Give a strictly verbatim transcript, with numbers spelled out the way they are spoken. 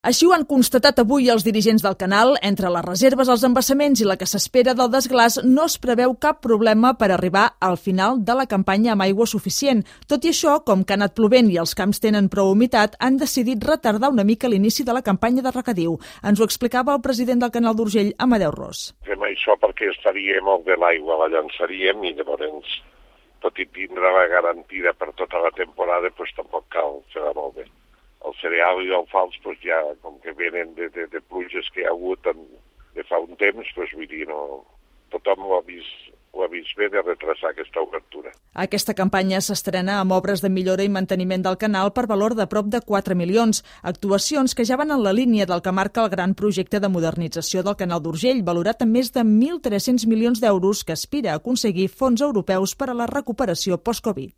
Així ho han constatat avui els dirigents del canal. Entre les reserves, els embassaments i la que s'espera del desglàs no es preveu cap problema per arribar al final de la campanya amb aigua suficient. Tot i això, com que ha anat plovent i els camps tenen prou humitat, han decidit retardar una mica l'inici de la campanya de regadiu. Ens ho explicava el president del Canal d'Urgell, Amadeu Ros. Fem això perquè estaria molt bé l'aigua, la llançaríem i llavors, tot i tindre la garantida per tota la temporada, doncs tampoc cal fer-la molt bé. El cereal i el fals, doncs ja, com que venen de, de, de pluges que hi ha hagut en, de fa un temps, doncs vull dir, no, tothom ho ha vist, ho ha vist bé de retrasar aquesta obertura. Aquesta campanya s'estrena amb obres de millora i manteniment del canal per valor de prop de quatre milions, actuacions que ja van en la línia del que marca el gran projecte de modernització del Canal d'Urgell, valorat en més de mil tres-cents milions d'euros, que aspira a aconseguir fons europeus per a la recuperació post-Covid.